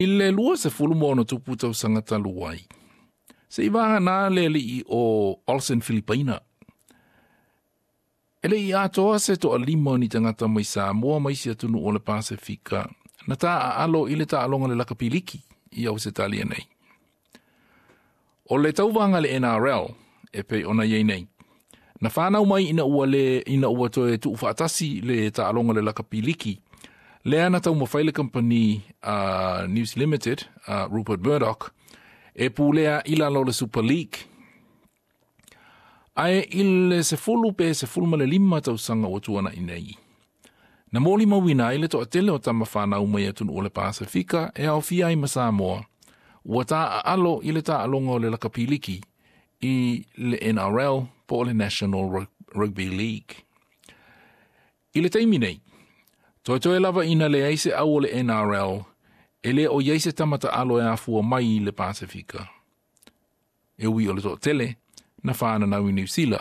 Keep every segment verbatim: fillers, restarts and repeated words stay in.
I le lua sefulu ma ono tupu tausaga talu ai, se'i vagana le ali'i o Olsen Filipaina, e le'i atoa se to'alima o ni tagata mai Samoa ma isi atunuu o le Pasefika na taaalo i le taaloga le lakapi liki i Ausetalia nei. O le tauvaga le N R L e pei ona iai nei, na fanau mai ina ua le ina ua toe tuufaatasi le taaloga le lakapi liki lea na taumafai le kamupani uh, News Limited, uh, Rupert Murdoch, e pulea i lalo o le Super League. Ae i le sefulu pe sefulu ma le lima tausaga ua tuana'i nei, na molimauina ai le to'atele o tama fanau mai atunuu o le Pasefika e aofia ai ma Samoa, ua taaalo i le taaloga o le lakapi liki i le N R L po o le National Rugby League. I le taimi nei, toetoe lava ina leai se au o le N R L e le o iai se tama taalo e afua mai i le Pasefika. E ui o le to'atele na whananau i Niu Sila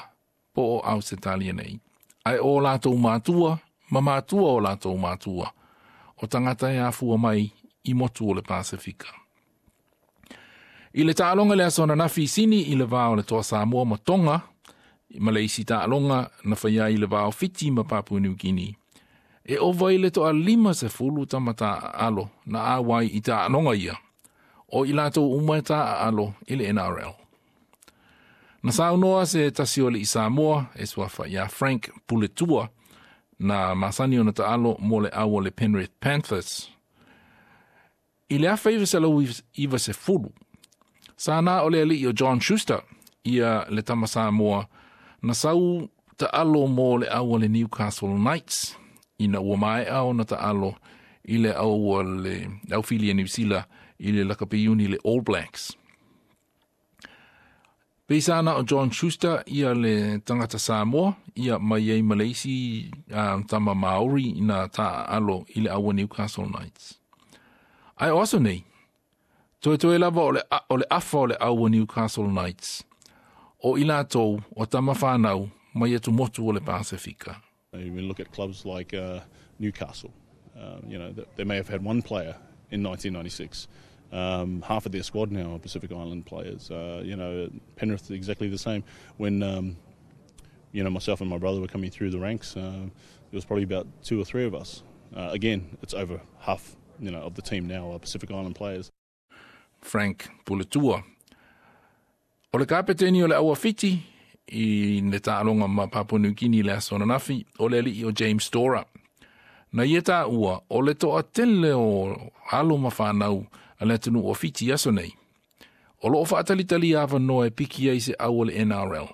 po o Ausetalia nei. Ae o latou matua, ma matua o latou matua, o tagata e afua mai i motu o le Pasefika. I le taaloga le aso ananafi i Sini i le va o le Toa Samoa ma Tonga, ma le isi taaloga na faia i le va o Fiti ma Papua New Guinea. E ova i le to'alima sefulu tama taaalo na auai i taaloga ia, o i latou uma e taaalo i le N R L. Na saunoa se tasi o alii Samoa e suafa ia Frank Puletua na masani ona taalo mo le au o le Penrith Panthers. I le afa iva selau iva sefulu, sa na o le alii o John Schuster ia le tama Samoa na sau taalo mo le au o le Newcastle Knights ina ua maea ona taalo i le au o le au fili a Niu Sila i le lakapi iuni le All Blacks. Pei na o John Schuster ia le tagata Samoa ia mai ai ma le isi uh, tama Maori na taaalo i le au Newcastle Knights. Ae o aso nei, toetoe lava o le, o le afa o le au Newcastle Knights, o i latou o tama whanau mai atumotu o le Pasifika. You look at clubs like uh, Newcastle, um, you know, they may have had one player in nineteen ninety-six. Um, half of their squad now are Pacific Island players. Uh, you know, Penrith exactly the same. When um, you know myself and my brother were coming through the ranks, uh, there was probably about two or three of us. Uh, again, it's over half you know of the team now are Pacific Island players. Frank Puletua. O le kapeteni o le au a Fiti i le taaloga ma Papua New Guinea le aso ananafi, o le alii o James Stora. Na ia taua o le to'atele o alo ma whanau a le atunuu o Fiti aso nei, o loo faatalitali avanoa e piki ai se au o le N R L.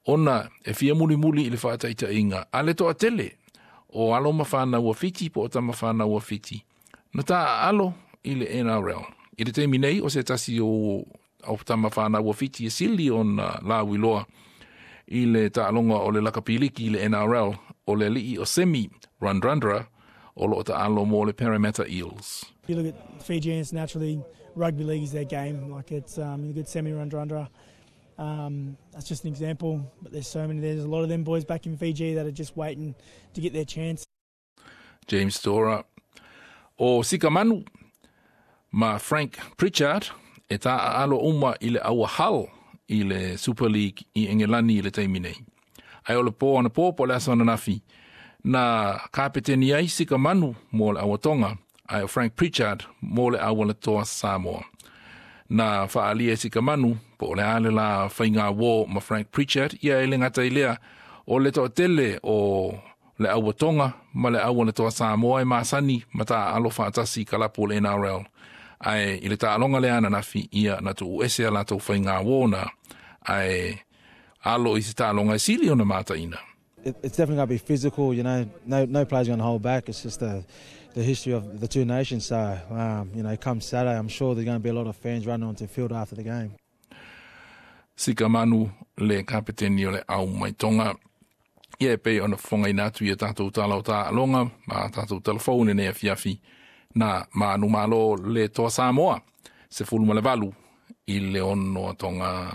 Ona e fia mulimuli i le faataitaiga a le to'atele o alo ma whanau a Fiti po o tama whanau a Fiti, na taaalo i le N R L. I le taimi nei o se tasi o o tama whanau a Fiti e sili ona lauiloa i le taaloga o le lakapi liki i le N R L o le alii o Semi Radradra o loo taalo mo le Parramatta Eels. You look at Fijians, naturally, rugby league is their game. Like it's um, you look at Semi Radradra. Um, that's just an example, but there's so many. There's a lot of them boys back in Fiji that are just waiting to get their chance. James Stora. O Sika Manu ma Frank Pritchard e taaalo uma i le au a Hull i le Super League i Engelani i le taimi nei. Ae o le po anapo po le aso ananafi na kapeteni ai Sika Manu mo le au a Tonga, ae o Frank Pritchard mo le au a le Toa Samoa. Na faalia e Sika Manu po o le a le la faiga uō ma Frank Pritchard ia e le gata i lea o le toatele o le au a Tonga ma le au a le Toa Samoa e masani ma taaalo faatasi i kalapu o le N R L. Ae i le taaloga le ananafi ia na tuu ese a latou faiga uō na ae alo i se taaloga e sili ona mataina. It, it's definitely going to be physical. You know, no no player's going to hold back. It's just the the history of the two nations. So, um, you know, come Saturday, I'm sure there's going to be a lot of fans running onto the field after the game. Sika Manu le kapeteni o le au mai Tonga. Ia e pei ona fofogaina atu ia tatou tala o taaloga ma tatou talafou lenei afiafi na manumalo le Toa Samoa sefulu ma le valu i le ono a Tonga.